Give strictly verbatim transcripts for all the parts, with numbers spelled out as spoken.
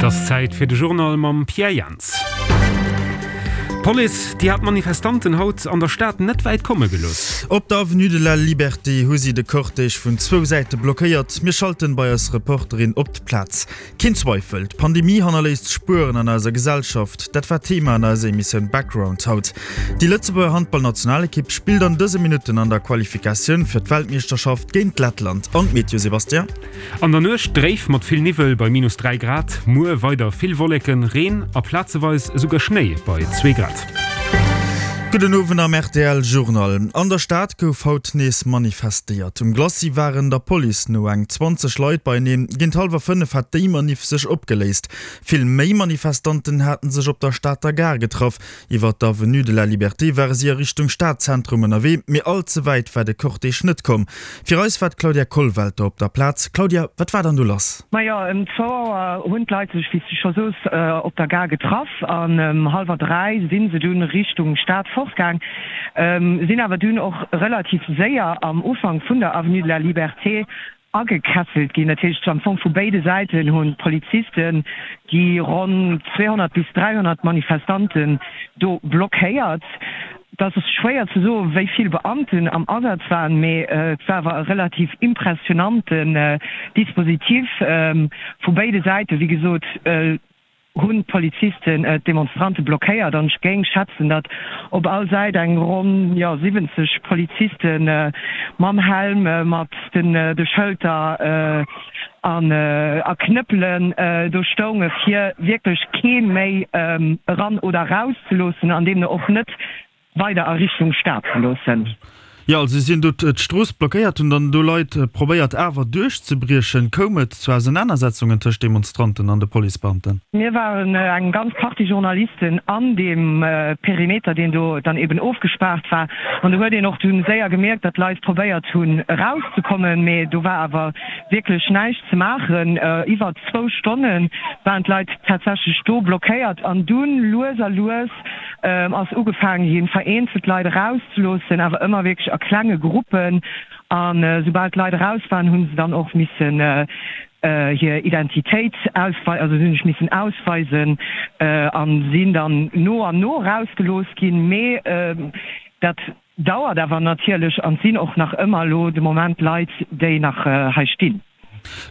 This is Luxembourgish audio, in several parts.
Et ass Zäit fir de Journal mam Pierre Jans. D'Police, déi hat d'Manifestanten haut an der Stad net wäit komme gelooss. Op der Avenue de la Liberté hu si de Cortège vun zwou Säite blockéiert. Mir schalten bei eis Reporterin op d'Plaz. Keen Zweifel, d'Pandemie hannerléisst Spueren an eiser Gesellschaft. Dat war Thema an eiser Emissioun Background haut. Déi Lëtzebuerger Handballnationalekipp spillt an dëse Minutten an der Qualifikatioun fir d'Weltmeeschterschaft géint Lettland. An d'Meteo, Sébastien? An der Nuecht dréif mat vill Niwwel bei minus dräi Grad. Muer weider vill Wolleken, Reen a plazeweis esouguer Schnéi bei zwee Grad. Gudden Owend am R T L Journal. An der Stad gouf haut nees manifestéiert. Um Glacis waren der Police no eng zwanzeg Leit beieneen. Géint hallwer fënnef hat déi Maniff sech opgeléist. Vill méi Manifestanten haten sech op der Stater Gare getraff. Iwwer d'Avenue de la Liberté ware si a Richtung Stadzentrum ënnerwee, mee all ze wäit war de Cortège net komm. Fir eis war d'Claudia Kollwelter op der Plaz. Claudia, wat war dann do lass? Majo, ëm zwou Auer hunn d'Leit sech, wéi s du scho soos, op der Gare getraff an ëm hallwer dräi si se dunn Richtung Stad fortgaang, sinn awer dunn och relativ séier am Ufank vun der Avenue de la Liberté agekesselt ginn. Dat heescht, am Fong vu béide Säiten hunn d'Polizisten déi ronn zweehonnert bis dräihonnert Manifestanten do blockéiert. Et ass schwéier ze soen, wéi vill Beamten am Asaz waren, mee et war awer e relativ impressionanten Dispositif vu béide Säiten. Wéi gesot hunn d'Polizisten d'Demonstrante blockéiert an ech géing schätzen, datt op all Säit eng ronn, jo, siwwenzeg Poliziste mam Helm, mat de Schëlter an a Knëppelen do stounge fir wierklech kee méi eran oder eraus ze loossen an deemno och net weider a Richtung Stad ze loossen. Jo, also si hunn do d'Strooss blockéiert, hunn dann do Leit probéiert awer duerchzebriechen. Koum et zu Ausenanersetzungen tëscht Demonstranten an de Policebeamten? Mir waren eng ganz Partie Journalisten an deem Perimeter, deen do dann eben ofgespaart war. An do huet een och dunn séier gemierkt, datt Leit probéiert hunn erauszekommen, mee do war awer wierklech näischt ze maachen. Iwwer zwou Stonne waren d'Leit tatsächlech do blockéiert an dunn lues a lues ass ugefaange ginn, vereenzelt Leit erauszeloossen, awer ëmmer wierklech a klenge Gruppen. A soubal d'Leit eraus waren, hu se dann och missen hir Identitéit ausweisen, also si hunn sech missen ausweisen a sinn dann no an no erausgelooss ginn. Mee dat dauert awer natierlech an et sinn och nach ëmmer elo de Moment Leit, déi nach hei stinn.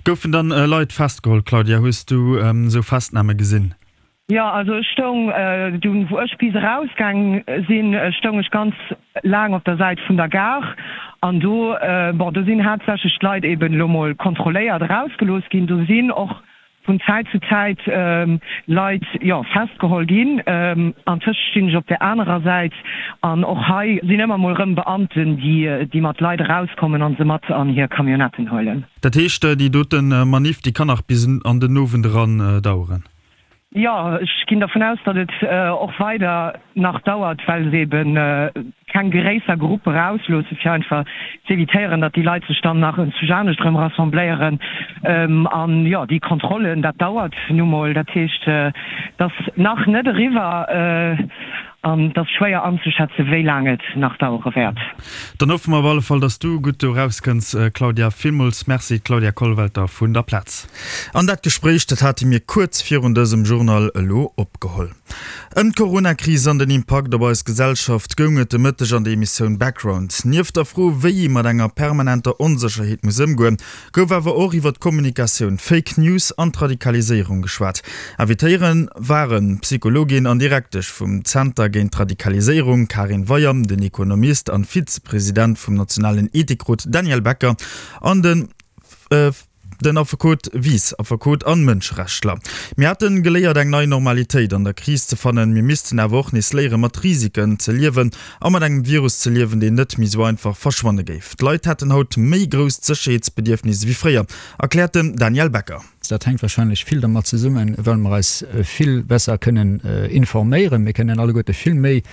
Goufen dann Leit festgeholl, Claudia? Hues du esou Festname gesinn? Jo, also ech stoung dunn, wou ech bis erausgaang sinn, stoung ech ganz laang op der Säit vun der Gare an do, bon, do sinn haaptsächlech d'Leit eben elo mol kontrolléiert erausgelooss ginn. Do sinn och vun Zäit zu Zäit Leit, jo, festgeholl ginn. Antëscht stinn ech op der anerer Säit an och hei sinn ëmmer mol erëm Beamten, déi, déi mat Leit erauskommen an se mat an hir Camionnetten huelen. Dat heescht, déi dote Maniff, déi kann nach bis an den Owend eran daueren? Jo, ech ginn dervun aus, datt et och weider nach dauert, well se ebe keng gréisser Gruppe erausloossen, fir einfach z'evitéieren, datt déi Leit sech dann nach enzwousch anescht erëm rassembléieren. An jo, déi Kontrollen, dat dauert nu mol. Dat heescht, et ass nach net eriwwer an et ass schwéier anzeschätzen, wéi laang et nach dauere wäert. Dann hoffe mer op alle Fall, datt s du gutt do erauskënns, Claudia. Villmools Merci, Claudia Kollwelter vun der Plaz. An dat Gespréich, dat hate mir kuerz virun dësem Journal elo opgeholl. Ëm d'Coronakris an den Impakt op eis Gesellschaft goung et de Mëtteg an der Emissioun Background. Nieft der Fro, wéi ee mat enger permanenter Onsécherheet muss ëmgoen, gouf awer och iwwer d'Kommunikatioun, Fake News an d'Radikaliséierung geschwat. Invitéiere waren d'Psychologin an Direktesch vum Zenter géint d'Radikaliséierung Karin Weyer, den Ekonomist an Vizepresident vum nationalen Ethikrot Daniel Becker an den Den Affekot Wies, Affekot an Mënscherechtler. Mir hätten geléiert eng nei Normalitéit an der Kris ze fannen, mir missten awer och nees léieren mat Risiken ze liewen a mat engem Virus ze liewen, deen net méi sou einfach verschwanne géif. D'Leit hätten haut méi grousst Sécherheetsbedierfnis ewéi fréier, erkläert den Daniel Becker. Dat hänkt wahrscheinlech vill dermat zesummen, well mer eis vill besser kënnen informéieren. Mir kënnen alleguerte vill méi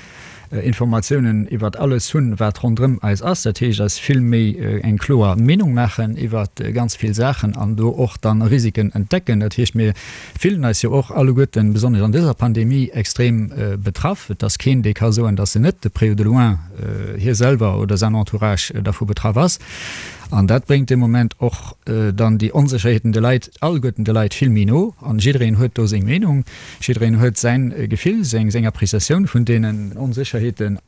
Informatiounen iwwert alles hunn, wat ronderëm eis ass. Dat heescht, eis vill méi eng kloer Meenung maachen iwwert ganz vill Saachen an do och dann Risiken entdecken. Dat heescht, mir fillen eis jo och alleguerten, besonnesch an dëser Pandemie, extrem betraff. Et ass keen, dee ka soen, dass en net de près ou de loin hie selwer oder säin Entourage dervu betraff ass. An dat bréngt de Moment och dann déi Onsécherheeten de Leit, alleguerten de Leit vill méi no. An jiddereen huet do seng Meenung, jiddereen huet säin Gefill, seng seng Appréciatioun vun deenen Onsécherheeten.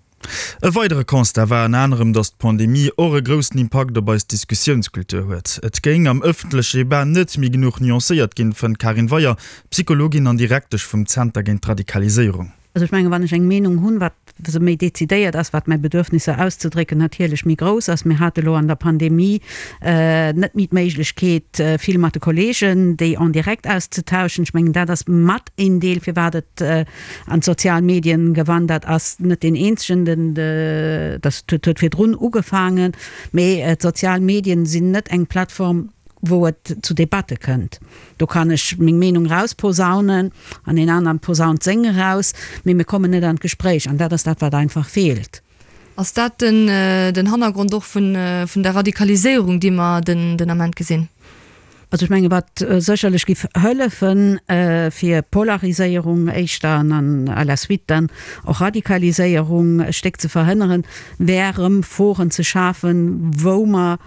E weidere Constat war ënner anerem, datt d'Pandemie och e groussen Impakt op eis Diskussiounskultur huet. Et géing am ëffentleche Debat net méi genuch nuancéiert ginn, fënnt d'Karin Weyer, Psychologin an Direktesch vum Zenter géint d'Radikaliséierung. Also ech mengen, wann ech eng Meenung hunn, wat se méi decidéiert ass, wat mäi Bedürfnisser auszedrécken natierlech méi grouss ass. Mir hate lo an der Pandemie net méi d'Méiglechkeet, vill mat de Kollegen déi en direct auszetauschen. Ech mengen, dat ass mat een Deel, firwat et an d'sozial Medien gewandert ass. Net deen eenzegen, den, dat huet virdrun ugefaangen, mee d'sozial Medien sinn net eng Plattform, wou et zu Debatte kënnt. Do kann ech meng Meenung rausposaunen an een aneren posaunt seng eraus, mee mir kommen net an d'Gespréich an dat ass dat, wat einfach feelt. Ass dat den den Hannergrond och vun vun der Radikaliséierung, déi mer den den Ament gesinn? Also ech menge wat sécherlech giff hëllefen, fir Polariséierung éischter an an à la suite dann och Radikaliséierung e Stéck ze verhënneren, wär erëm Foren ze schafen, wou mer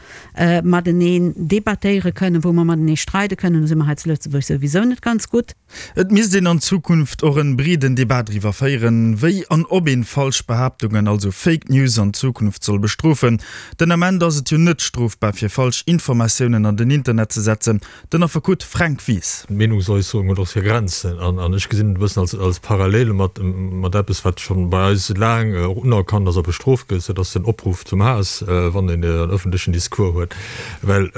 mateneen debattéiere kënnen, wou mer matenee streide kënnen. Do si mer hei zu Lëtzebuerg souwisou net ganz gutt. Et misst een an Zukunft och en breeden Debat driwwer féieren, wéi an ob een falsch Behaaptungen, also Fake News, an Zukunft soll bestrofen. Den Ament ass et jo net strofbar fir falsch Informatiounen an den Internet ze setzen. Den Affekot Fränk Wies. D'Meenungsäusserung huet och hir Grenzen an ech gesinn et e bëssen als Parallele mat mat eppes, wat scho bei eis laang och unerkannt ass a bestrooft gëtt, dat ass den Opruff zum Haass, wann een en ëffentlechen Discours huet. Well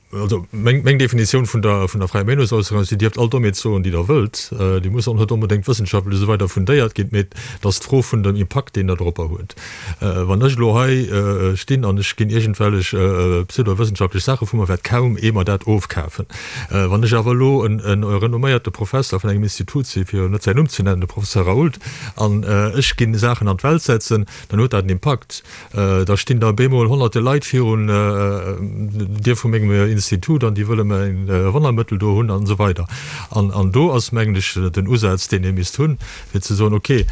also meng meng Definitioun vun der vun der fräier Meenungsäusserung ass, Dir dierft all Dommheet soen, déi Der wëllt, déi muss och net onbedéngt wëssenschaftlech esou weider fundéiert ginn, mee et ass d'Fro vun dem Impakt, deen Der doropper huet. Wann ech elo hei stinn an ech ginn iergendwellech pseudowëssenschaftlech Saache vu mer, wäert kaum ee mer dat ofkafen. Wann ech awer elo e renomméierte Professer vun engem Institut sinn, fir net säin Numm ze nennen, de Professor Raoult, an ech ginn Saachen an d'Welt setzen, dann huet dat en Impakt. Da stinn da bemol honnerte Leit virun der Dier vu mengem Institut an déi wëlle mäin Wonnermëttel do hunn an esou weider. An do ass, mengen ech, den Usaz, deen ee misst hunn, fir ze soen, okay,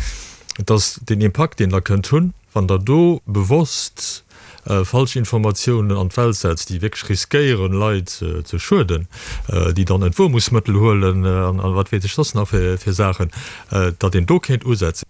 et ass deen Impakt, deen Der kënnt hunn, wann Der do bewosst falsch Informatiounen an d'Welt setzt, déi wierklech riskéieren, Leit ze schueden, déi dann Entwuermungsmëttel huelen an wat weess ech soss nach fir Saachen, datt een do kéint usetzen.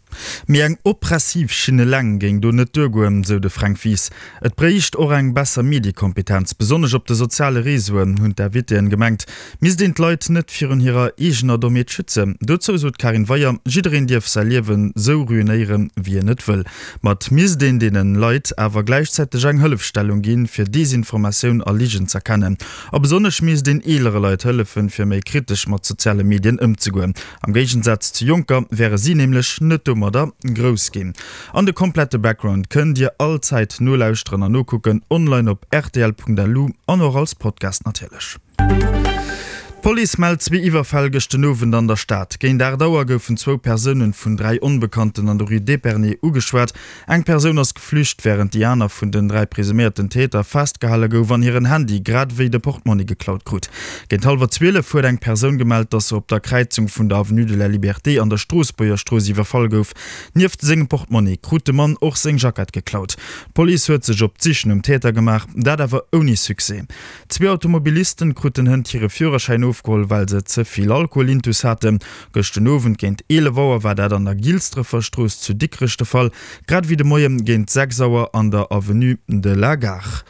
Mee eng oppressiv Schinn eleng géing do net duergoen, sou de Fränk Wies. Et bréicht och eng besser Mediekompetenz, besonnesch op de soziale Reseauen, hunn d'Invitéen gemengt. Misst een d'Leit net virun hirer eegener Dommheet schützen? Dozou sot d'Karin Weyer, jiddereen dierf säi Liewen sou ruinéieren, wéi en et wëll. Ma et misst een deene Leit awer gläichzäiteg eng Hëllefstellung ginn, fir Desinformatioun a Ligen z'erkennen. A besonnesch misst een eelere Leit hëllefen, fir méi kritesch mat soziale Medien ëmzegoen. Am Géigensaz zu Jonker wäre si nämlech net domadder grouss ginn. An de komplette Background kënnt Dir all Zäit nolauschteren an nokucken, online op rtl.lu an och als Podcast natierlech. D'Police mellt zwee Iwwerfäll gëscht den Owend an der Stad. Géint aacht Auer goufen zwou Persounen vun dräi Onbekannten an der Rue d'Épernay ugeschwat. Eng Persoun ass geflücht, wärend déi aner vun den dräi presuméierten Täter festgehale gouf an hiren Handy grad ewéi de Portmonni geklaut krut. Géint hallwer zwielef huet eng Persoun gemellt, dass se op der Kräizung vun der Avenue de la Liberté an der Stroossbuerger Strooss iwwerfall gouf. Nieft sengem Portmonni krut de Mann och seng Jackett geklaut. D'Police huet sech op d'Sich nom Täter gemaach, dat awer ouni Succès. Zwee Automobilisten kruten hënt hire Führerschäin ofgeholl, well se ze vill Alkohol intus haten. Gëscht den Owend géint eelef Auer war dat an der Gilsdrëffer Strooss zu Dikrech de Fall, grad ewéi de Moie géint sechs Auer an der Avenue de la Gare.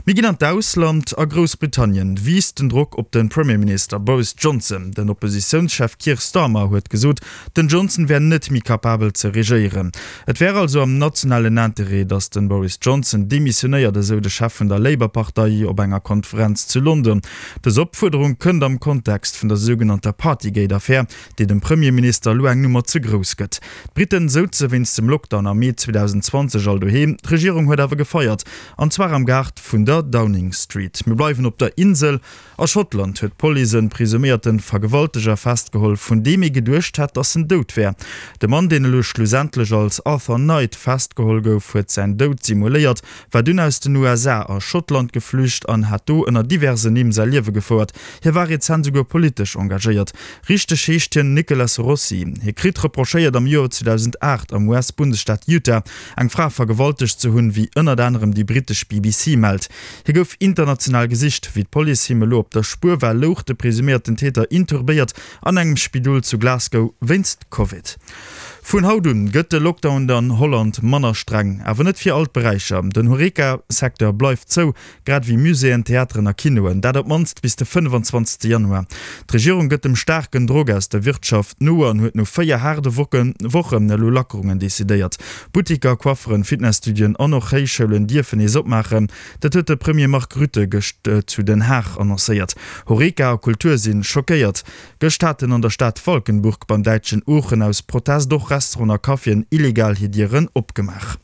Mir ginn an d'Ausland, A Groussbritannien wiisst den Drock op de Premierminister Boris Johnson. Den Oppositiounschef Keir Starmer huet gesot, den Johnson wär net méi kapabel ze regéieren. Et wär also am nationalen Interêt, datt de Boris Johnson demissionéiert, esou de Chef vun der Labour-Partei op enger Konferenz zu London. Dës Opfuerderung kënnt am Kontext vun der sougenannter Partygate-Affär, déi dem Premierminister elo eng Nummer ze grouss gëtt. D'Britten souze wéinst dem Lockdown am Mee zweedausendzwanzeg all doheem, d'Regierung huet awer gefeiert, an zwar am Gaart vun der Downing Street. Mir bleiwen op der Insel. A Schottland huet d'Police e presuméierte Vergewalteger festgeholl, vun deem ee geduecht hat, datt en dout wär. De Mann, deen elo schlussendlech als Arthur Knight festgeholl gouf, huet säin Doud simuléiert, war dunn aus den U S A a Schottland geflücht an hat do ënner diversen Nimm säi Liewe gefouert. Hie war rezent souguer politesch engagéiert. Richteg heescht hien Nicholas Rossi. Hie kritt reprochéiert, am Joer zweedausendacht am U S-Bundesstaat Utah eng Fra vergewaltegt ze hunn, wéi ënnert anerem déi brittesch B B C mellt. Hie gouf international gesicht. Wéi d'Police him elo op der Spuer war, louch de presuméierten Täter inturbéiert an engem Spidol zu Glasgow wéinst Covid. Vun haut un gëtt de Lockdown an Holland manner streng, awer net fir all d'Beräicher. Den Horeca-Secteur bleift zou, grad ewéi Muséeën, Theateren a Kinoen. Dat op d'mannst bis de fënnefenzwanzegste Januar. D'Regierung gëtt dem staarken Drock aus der Wirtschaft no an huet no véier haarde Wochen elo Lackerungen decidéiert. Buttiker, Coifferen, Fitnesstudioen an och Héichschoulen dierfen nees opmaachen. Dat huet de Premier Mark Rutte gëscht zu Den Haag annoncéiert. Horeca a Kultur si schockéiert. Gëscht haten an der Stad Valkenburg beim däitschen Oochen aus Protest och Restauranten a Caféen illegal hir Dieren opgemaach.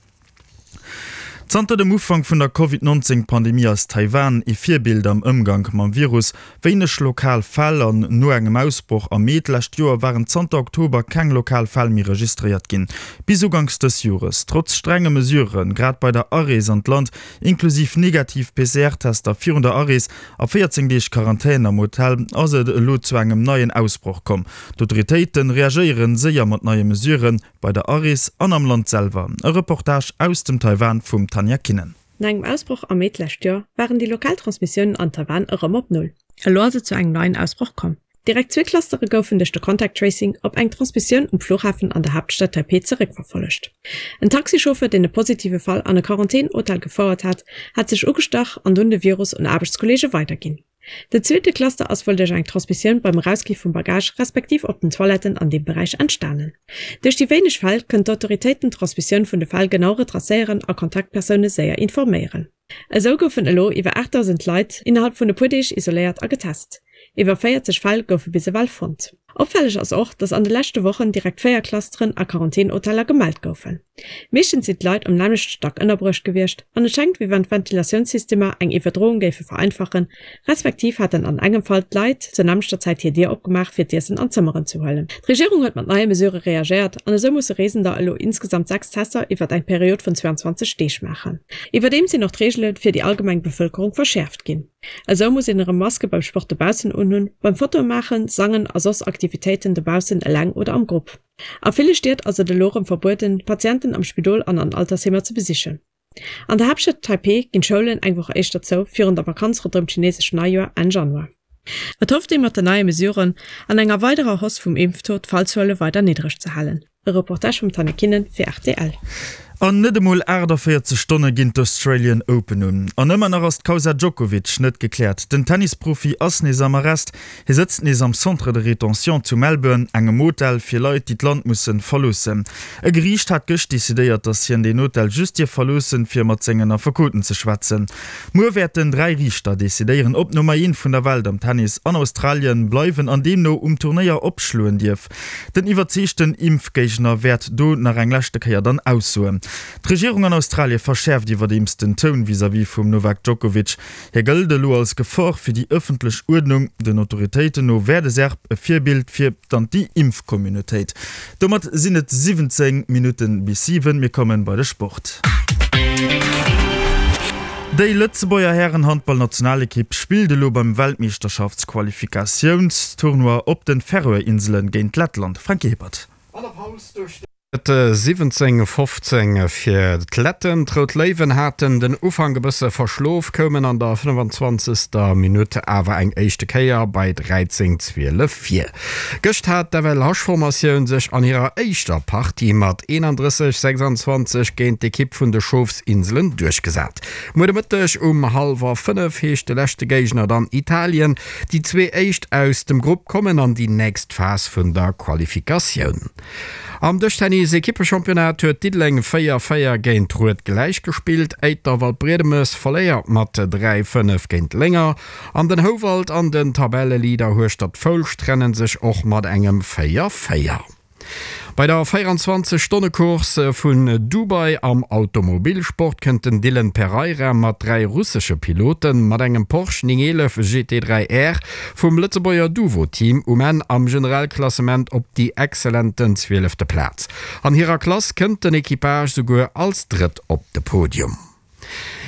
Zanter dem Ufank vun der Covid nonzéng Pandemie ass Taiwan ee Virbild am Ëmgank mam Virus. Wéineg lokal Fäll an no engem Ausbroch am Mee d'lescht Joer waren zanter Oktober keng lokal Fäll méi registréiert ginn. Bis uganks dës Jores. Trotz strenge Mesuren, grad bei der Arees an d'Land, inklusiv negativ P C R-Tester virun der Arees a véierzéng Deeg Quarantän am Hotel, ass et elo zu engem neien Ausbroch komm. D'Autoritéite reagéiere séier mat neie Mesuren, bei der Arees an am Land selwer. E Reportage aus dem Taiwan vum Tanja Kinnen. No engem Ausbroch am Mee d'lescht Joer waren déi lokal Transmissiounen an Taiwan erëm op Null. Elo ass et zu engem neien Ausbroch komm. Direkt zwee Clustere goufen duerch de Contact Tracing op eng Transmissioun um Flughafen an der Haaptstad Taipeh zeréckverfollegt. En Taxichauffeur, deen e positive Fall an e Quarantän-Hotel gefouert hat, hat sech ugestach an dunn de Virus un Aarbechtskolleege weiderginn. Den zweete Cluster ass wuel duerch eng Transmissioun beim Erausgi vum Bagage respektiv op den Toiletten an deem Beräich entstanen. Duerch déi wéineg Fäll kënnen d'Autoritéiten d'Transmissioun vun de Fäll genau retracéieren a Kontaktpersoune séier informéieren. Esou goufen elo iwwer aachtdausend Leit innerhalb vun e puer Deeg isoléiert a getest. Iwwer véierzeg Fäll goufe bis ewell fonnt. Opfälleg ass och, dass an de leschte Wochen direkt véier Clusteren a Quarantän-Hoteller gemellt goufen. Meeschtens sinn d'Leit um nämmlechte Stack ënnerbruecht gewiescht an et schéngt, wéi wann d'Ventilatiounsystemer eng Iwwerdroung géife vereinfachen, respektiv haten an engem Fall d'Leit zur nämmlechter Zäit hir Dier opgemaach, fir d'Iessen an d'Zëmmeren ze huelen. D'Regierung huet mat neie Mesurë reagéiert an esou musse Reesender elo insgesamt sechs Tester iwwert eng Period vun zwouanzwanzeg Deeg maachen. Iwwerdeems sinn och d'Reegele fir déi allgemeng Bevëlkerung verschäerft ginn. Esou muss een erëm Maske beim Sport dobaussen unhunn, beim Fotoe maachen, sangen a soss Aktivitéiten dobaussen eleng oder am Grupp. A ville Stied ass et elo erëm verbueden, Patienten am Spidol an an Altersheemer ze besichen. An der Haaptstad Taipeh ginn d'Schoulen eng Woch éischter zou, virun der Vakanz ronderëm d'chineesescht Neijoer Enn Januar. Et hofft ee mat den neie Mesuren an enger weiderer Hausse vum Impftaux d'Fallzuele weider niddreg ze halen. E Reportage vum Tanja Kinnen fir rtl. An net emol aachtavéierzeg Stonne ginn d'Australian Open un. An ëmmer nach ass d'Kausa Djokovic net gekläert. Den Tennisprofi ass nees am Arrest. Hie sëtzt nees am Centre de rétention zu Melbourne, engem Hotel fir Leit, déi d'Land musse verloossen. E Geriicht hat gëscht decidéiert, datt hien deen Hotel just dierf verloossen, fir mat sengen Affekoten ze schwätzen. Muer wäerten dräi Riichter decidéieren, ob d'Nummer eent vun der Welt am Tennis an Australien bleiwen an deemno um Turnéier opschloen dierf. Den iwwerzeegten Impfgéigner wäert do nach eng leschte Kéier dann aussoen. D'Regierung an Australie verschäerft iwwerdeems den Toun vis-à-vis vum Novak Djokovic. Hie gëllt elo als Gefor fir déi ëffentlech Uerdnung. Den Autoritéiten no wär de Serb e Virbild fir d'Anti-Impf-Communautéit. Domat sinn et siwwenzéng Minutte bis siwen. Mir kommen bei de Sport. Déi Lëtzebuerger Hären-Handball-Nationalekipp spillt elo beim Weltmeeschterschaftsqualifikatiounstournoi op de Färöer-Inselen géint Lettland. Franky Hippert. An der Paus duerch de. Et siwwenzéng fofzéng fir d'Letten. D'Rout Léiwen haten den Ufank e bësse verschlof, koumen an der fënnefenzwanzegster Minutt awer eng éischte Kéier bei dräizéng zwielef vir. Gëscht hat d'F L H-Formatioun sech an hirer éischter Partie mat eenandrësseg sechsanzwanzeg géint d'Ekipp vun de Schofsinselen duerchgesat. Muer de Mëtteg um hallwer fënnef heescht de leschte Géigner dann Italien. Déi zwee éischt aus dem Grupp kommen an déi nächst Phas vun der Qualifikatioun. Am Dëschtennis-Ekippechampionnat huet Diddeleng véier véier géint Rued gläichgespillt. Éiter Waldbriedemes verléiert mat dräi fënnef géint Lénger an den Houwald an den Tabelleleader Hueschtert-Foulscht trenne sech och mat engem véier véier. Bei der véierenzwanzeg Stonne-Course vun Dubai am Automobilsport kënnt den Dylan Pereira mat dräi russesche Piloten mat engem Porsche néng eelef G T dräi R vum Lëtzebuerger Duvo-Team um Enn am Generalklassement op déi exzellenten zwielefte Plaz. An hirer Klass kënnt den Equipage souguer als Drëtt op de Podium.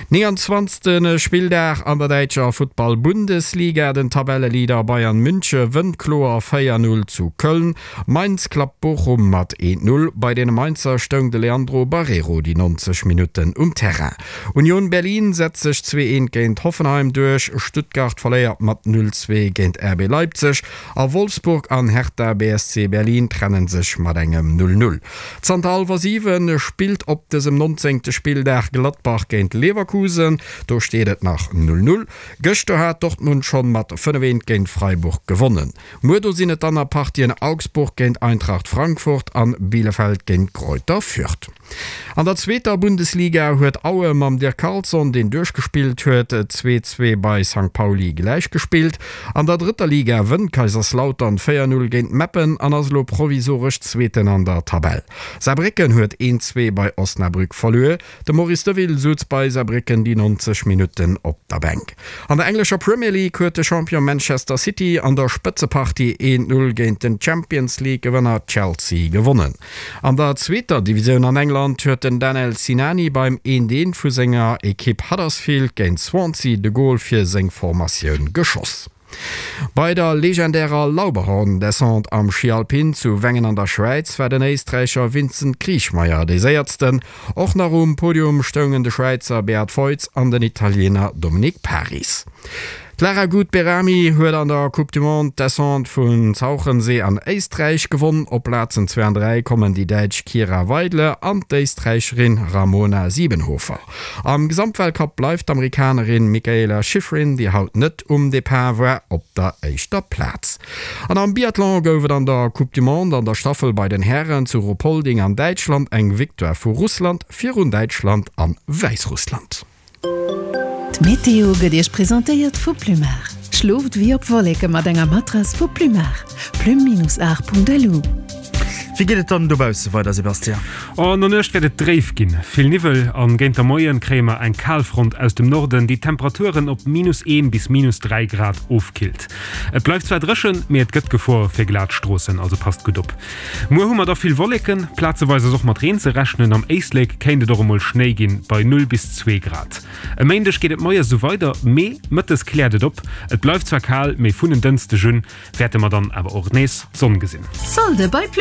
Nénganzwanzegste Spilldag an der däitscher Futtball-Bundesliga, Den Tabelleleader Bayern Münche wënnt kloer véier Null zu Köln. Mainz klappt Bochum mat eent Null. Bei deene Mainzer stoung de Leandro Barreiro déi neunzeg Minutten um Terrain. Union Berlin setzt sech zwee eent géint Hoffenheim duerch, Stuttgart verléiert mat null zwee géint R B Leipzig a Wolfsburg an Hertha B S C Berlin trennen sech mat engem null null. Zanter hallwer siwen spillt op dësem nonzéngte Spilldag Gladbach géint Leverkusen, do steet et nach null null. Gëschter hat Dortmund schonn mat fënnef eent géint Freiburg gewonnen. Muer do sinn et dann nach Partien Augsburg géint Eintracht Frankfurt an Bielefeld géint Greuther Fürth. An der zweeter Bundesliga huet Aue mam Dirk Carlson, deen duerchgespillt huet, zwee zwee bei Sankt Pauli gläichgespillt. An der drëtter Liga wënnt Kaiserslautern véier null géint Meppen an ass elo provisoresch Zweeten an der Tabell. Saarbrécken huet een zwee bei Osnabrück verluer. De Maurice Deville sutz bei Saarbrécken déi neunzeg Minutten op der Bänk. An der englescher Premier League huet de Champion Manchester City an der Spëtzepartie een null géint den Champions League Gewënner Chelsea gewonnen. An der zweeter Divisioun an England huet den Danel Sinani beim eent eent vu senger Ekipp Huddersfield géint Swansea de Gol fir seng Formatioun geschoss. Bei der legendärer Lauberhorn-Descente am Schi Alpin zu Wengen an der Schwäiz war den Éisträicher Vincent Kriechmayr dee Séiersten. Och nach um Podium stoungen de Schwäizer Beat Feuz an den Italiener Dominik Paris. D'Lara Gut-Behrami huet an der Coupe du Monde d'Descente vun Zauchensee an Éisträich gewonn. Op Plazen zwee an dräi kommen déi Däitsch Kira Weidle an d'Éisträicherin Ramona Siebenhofer. Am Gesamtweltcup bleift d'Amerikanerin Mikaela Shiffrin, déi haut net um Depart war, op der éischter Plaz. An am Biathlon gouf et an der Coupe du Monde an der Staffel bei den Hären zu Ruhpolding an Däitschland eng Victoire vu Russland virun Däitschland an Wäissrussland. D'Meteo gëtt Iech presentéiert vu Plumar. Schlooft wéi op Wolleke mat enger Matrass vu Plumar. Plum-art.lu. Wéi geet et dann dobausse weider, Sébastien? An der Nuecht wäert et dréif ginn, vill Niwwel an géint de Moien kréie mer eng Kalfront aus dem Norden, déi d'Temperaturen op minus een bis minus dräi Grad ofkillt. Et bleift zwar dréchen, mee et gëtt Gefor fir glat Stroossen, also passt gutt op. Muer hu mer da vill Wolleken, plazeweis ass och mat Reen ze rechnen, am Éislek kéint et och emol Schnéi ginn, bei null bis zwee Grad. E Méindeg geet et moies esou weider, mee mëttes kläert et op. Et bleift zwar kal, mee vun en Dënschdeg un wäerte mer dann awer och nees d'Sonn gesinn. Solde bei Plumar!